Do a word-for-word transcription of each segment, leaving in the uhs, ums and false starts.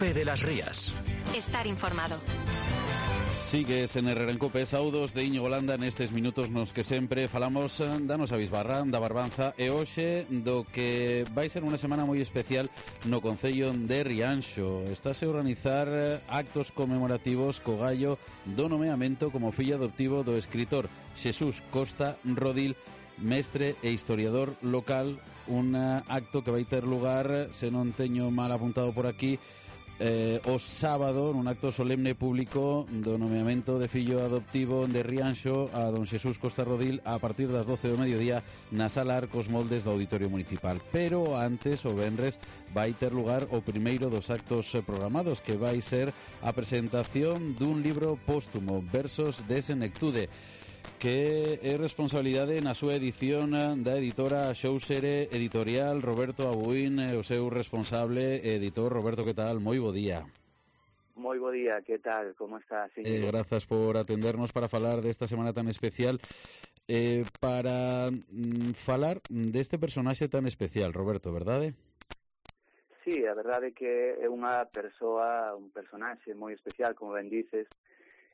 Cope de las Rías. Estar informado. Sigues en Herrera en Cope, saudos de Íñigo Landa nestes minutos nos que sempre falamos da nosa bisbarra, da Barbanza, e hoxe do que vai ser unha semana moi especial no Concello de Rianxo. Estáse a organizar actos conmemorativos co gallo do nomeamento como fillo adoptivo do escritor Xesús Costa Rodil, mestre e historiador local. Un acto que vai ter lugar, se non teño mal apuntado por aquí, Eh, o sábado, nun acto solemne público do nomeamento de fillo adoptivo de Rianxo a don Xesús Costa Rodil a partir das doce do mediodía na sala Arcos Moldes do Auditorio Municipal. Pero antes, o venres, vai ter lugar o primeiro dos actos programados, que vai ser a presentación dun libro póstumo, Versos de Senectude, que é responsabilidade na súa edición da editora Xóusere Editorial, Roberto Abuín, o seu responsable editor. Roberto, que tal? Moi bo día. Moi bo día, que tal? Como estás? Sí, eh, grazas por atendernos para falar desta semana tan especial. Eh, para mm, falar deste personaxe tan especial, Roberto, verdade? Sí, a verdade é que é unha persoa, un personaxe moi especial, como ben dices,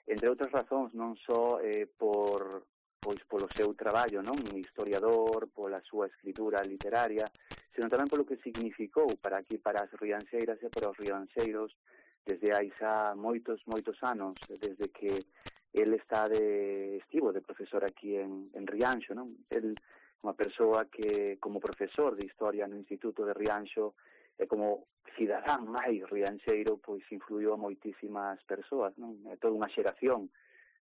entre outras razóns, non só eh, por pois polo seu traballo, non, historiador, pola súa escritura literaria, senón tamén polo que significou para aquí, para as rianxeiras e para os rianxeiros, desde hai xa moitos, moitos anos, desde que el está de estivo de profesor aquí en, en Rianxo, non? El, unha persoa que, como profesor de historia no Instituto de Rianxo, e como cidadán máis rianxeiro, pois influiu a moitísimas persoas, non? É toda unha xeración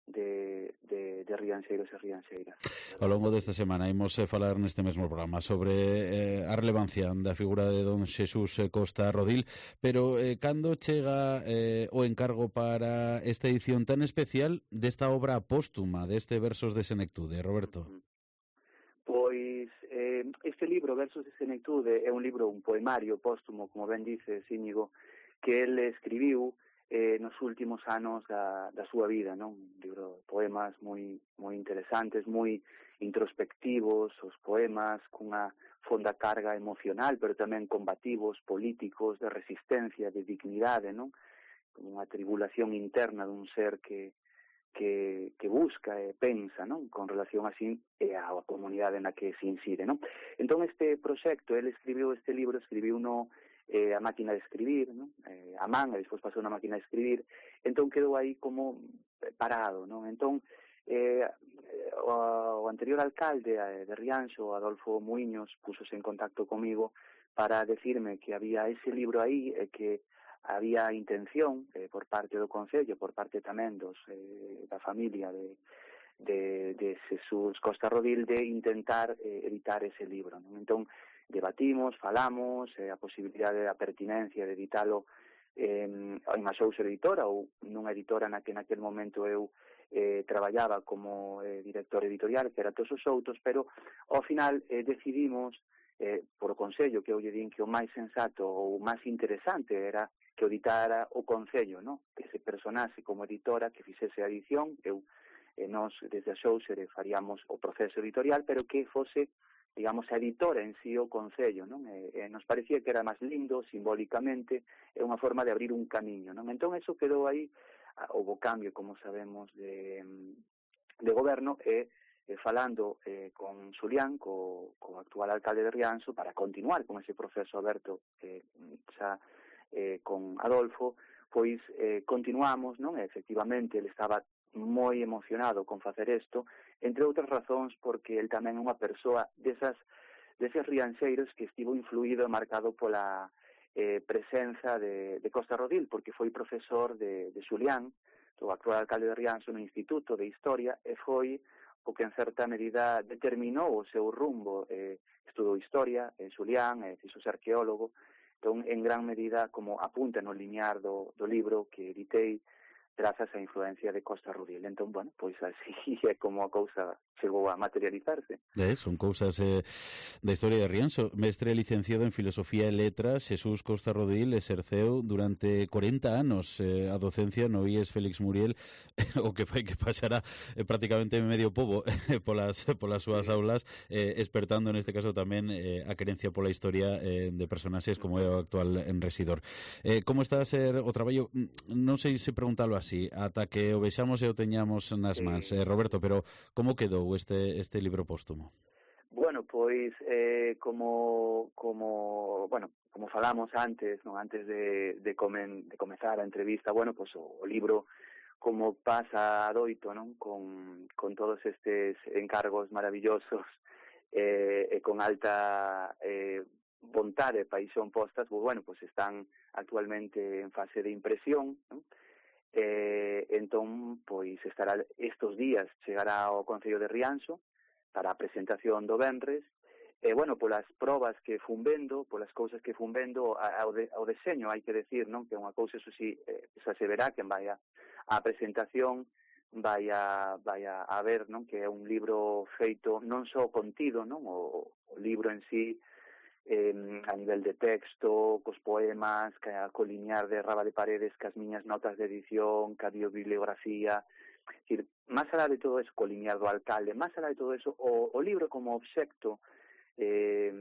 de, de, de rianxeiros e rianxeiras. Ao longo desta semana imos eh, falar neste mesmo programa sobre eh, a relevancia da figura de don Xesús Costa Rodil, pero eh, cando chega eh, o encargo para esta edición tan especial desta obra póstuma, deste Versos de Senectude, Roberto? Pois eh, este libro, Versos de Senectude, é un libro, un poemario póstumo, como ben dices, Íñigo, que el escribiu eh, nos últimos anos da, da súa vida, non? Un libro de poemas moi moi interesantes, moi introspectivos, os poemas cunha fonda carga emocional, pero tamén combativos, políticos, de resistencia, de dignidade, non? Como unha tribulación interna dun ser que que, que busca e pensa, non? Con relación así e á comunidade na que se incide, non? Entón este proxecto, ele escribiu este libro, escribiu no eh, a máquina de escribir, non? Eh, a man, e despois pasou na máquina de escribir, entón quedou aí como parado, non? Entón eh, o, o anterior alcalde de Rianxo, Adolfo Muiños, púsose en contacto comigo para decirme que había ese libro aí e que había intención eh, por parte do Concello, por parte tamén dos, eh, da familia de, de, de Xesús Costa Rodil, de intentar eh, editar ese libro, non? Entón, debatimos, falamos, eh, a posibilidade da pertinencia de editalo eh, en unha Xóusere editora ou nunha editora na que naquel momento eu eh, traballaba como eh, director editorial, que era Todos os Outros, pero ao final eh, decidimos eh, por o Concello, que eu lle din que o máis sensato ou o máis interesante era que o editara o Concello, no? Que se personase como editora, que fixese a edición, eu eh, nos desde a Xóusere faríamos o proceso editorial, pero que fose, digamos, a editora en sí o Concello, non? E, e nos parecía que era máis lindo, simbólicamente, é unha forma de abrir un camiño, non? Entón, eso quedou aí, houve cambio, como sabemos, de, de goberno, e eh, falando eh, con Xulián, co, co actual alcalde de Rianxo, para continuar con ese proceso aberto que eh, xa eh, con Adolfo, pois eh, continuamos, non? E, efectivamente, ele estaba moi emocionado con facer isto, entre outras razóns porque el tamén é unha persoa desas, deses rianxeiros que estivo influído e marcado pola eh, presenza de, de Costa Rodil, porque foi profesor de, de Xulián, o actual alcalde de Rianxo, no Instituto de Historia, e foi o que en certa medida determinou o seu rumbo. Eh, estudou Historia en Xulián, eh, fixose arqueólogo. Entón, en gran medida, como apunta no linear do, do libro que editei, grazas á influencia de Costa Rodil. Entón, bueno, pois así é como a cousa chegou a materializarse. Eh, son cousas eh, da historia de Rianxo. Mestre licenciado en Filosofía e Letras, Xesús Costa Rodil exerceu durante corenta anos eh, a docencia no I E S Félix Muriel, o que fai que pasara eh, prácticamente medio pobo eh, polas, polas súas sí. aulas, eh, espertando neste caso tamén eh, a querencia pola historia eh, de personaxes como é o actual en Residor. Eh, como está a ser o traballo? Non sei se preguntalo así, ata que o vexamos e o teñamos nas mans. Eh, Roberto, pero como quedou este este libro póstumo? Bueno, pois eh, como como, bueno, como falamos antes, non antes de de comen, de comezar a entrevista, bueno, pois o, o libro como pasa adoito, non, con con todos estes encargos maravillosos eh, e con alta eh, vontade e paixón postas, pois bueno, pois están actualmente en fase de impresión, non? Eh, entón, pois estará estes días, chegará ao Concello de Rianxo para a presentación do venres, e, bueno, polas probas que fun vendo, polas cousas que fun vendo, ao, de, ao deseño, hai que decir, non, que é unha cousa, eso si, eh, xa se verá, que vai a, a presentación vai a, vai a, a ver, non, que é un libro feito non só contido, non, o, o libro en sí, Eh, a nivel de texto, cos poemas, ca, co linear de Raba de Paredes, cas miñas notas de edición, ca biobibliografía, es decir, máis alá de todo eso, co linear do alcalde, máis alá de todo eso, o, o libro como obxecto, eh,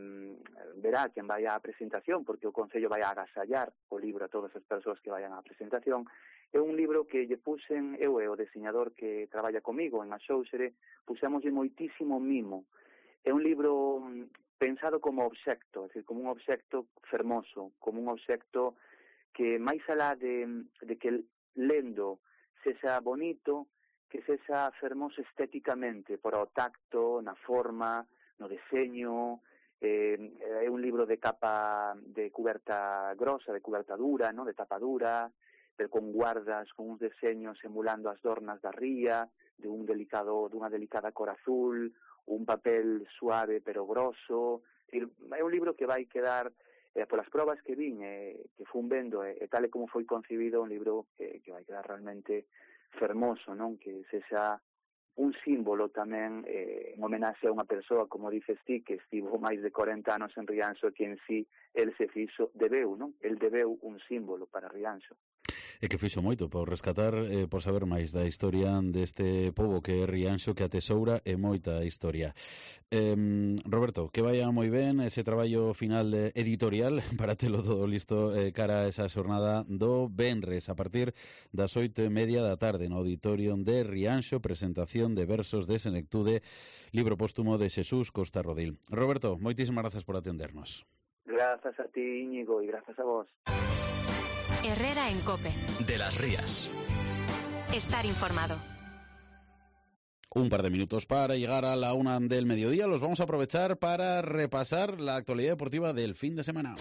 verá quen vai á presentación, porque o Concello vai a agasallar o libro a todas as persoas que vayan á presentación. É un libro que lle puxen, eu e o diseñador que traballa comigo en Axóuxere, puxémoslle moitísimo mimo. É un libro pensado como obxecto, é dicir, como un obxecto fermoso, como un obxecto que máis alá de, de que lendo sexa bonito, que sexa fermoso estéticamente, por o tacto, na forma, no deseño. Eh, é un libro de capa de cuberta grosa, de cuberta dura, no? De tapa dura, pero con guardas, con uns deseños emulando as dornas da ría, de un delicado, dunha delicada cor azul, un papel suave pero grosso. É un libro que vai quedar, eh, polas probas que vin, eh, que fun vendo, e eh, tal e como foi concebido, un libro que, que vai quedar realmente fermoso, non? Que sexa un símbolo tamén, eh, en homenaxe a unha persoa, como dices ti, que estivo máis de corenta anos en Rianxo, que en sí, el se fixo, debeu, non? El debeu un símbolo para Rianxo. E que fixo moito por rescatar, eh, por saber máis da historia deste pobo que é Rianxo, que atesoura e moita historia. Eh, Roberto, que vaya moi ben ese traballo final de editorial para telo todo listo eh, cara a esa xornada do venres a partir das oito e media da tarde no auditorio de Rianxo, presentación de versos de Senectude, libro póstumo de Xesús Costa Rodil. Roberto, moitísimas grazas por atendernos. Grazas a ti, Íñigo, e grazas a vos. Herrera en COPE. De las Rías. Estar informado. Un par de minutos para llegar a la una del mediodía. Los vamos a aprovechar para repasar la actualidad deportiva del fin de semana,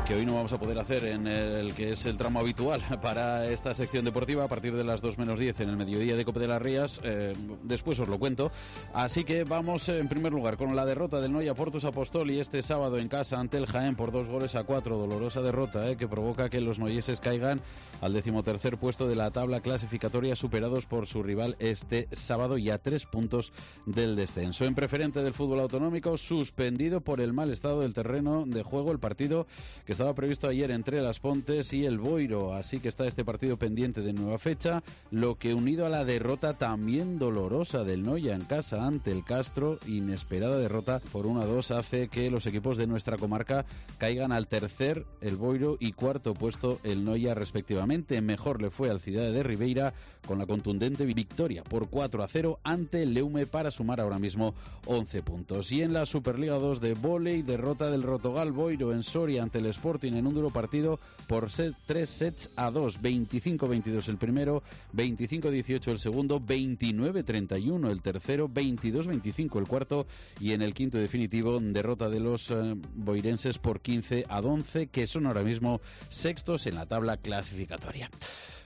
que hoy no vamos a poder hacer en el que es el tramo habitual para esta sección deportiva a partir de las dos menos diez en el mediodía de COPE de las Rías. Eh, después os lo cuento. Así que vamos en primer lugar con la derrota del Noia Fortus Apostoli este sábado en casa ante el Jaén por dos goles a cuatro. Dolorosa derrota eh, que provoca que los noieses caigan al decimotercer puesto de la tabla clasificatoria, superados por su rival este sábado y a tres puntos del descenso. En preferente del fútbol autonómico, suspendido por el mal estado del terreno de juego el partido que estaba previsto ayer entre Las Pontes y el Boiro, así que está este partido pendiente de nueva fecha, lo que unido a la derrota también dolorosa del Noia en casa ante el Castro, inesperada derrota por uno a dos, hace que los equipos de nuestra comarca caigan al tercer el Boiro y cuarto puesto el Noia respectivamente. Mejor le fue al Cidade de Ribeira con la contundente victoria por cuatro a cero ante el Leume para sumar ahora mismo once puntos. Y en la Superliga dos de vóley, derrota del Rotogal Boiro en Soria ante el Sporting en un duro partido por set, tres sets a dos, veinticinco veintidós el primero, veinticinco dieciocho el segundo, veintinueve treinta y uno el tercero, veintidós veinticinco el cuarto y en el quinto definitivo derrota de los eh, boirenses por quince a once, que son ahora mismo sextos en la tabla clasificatoria.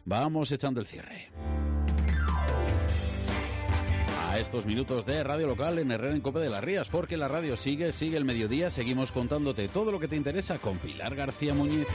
Vamos echando el cierre a estos minutos de radio local en Herrera en COPE de las Rías, porque la radio sigue, sigue el mediodía, seguimos contándote todo lo que te interesa con Pilar García Muñiz.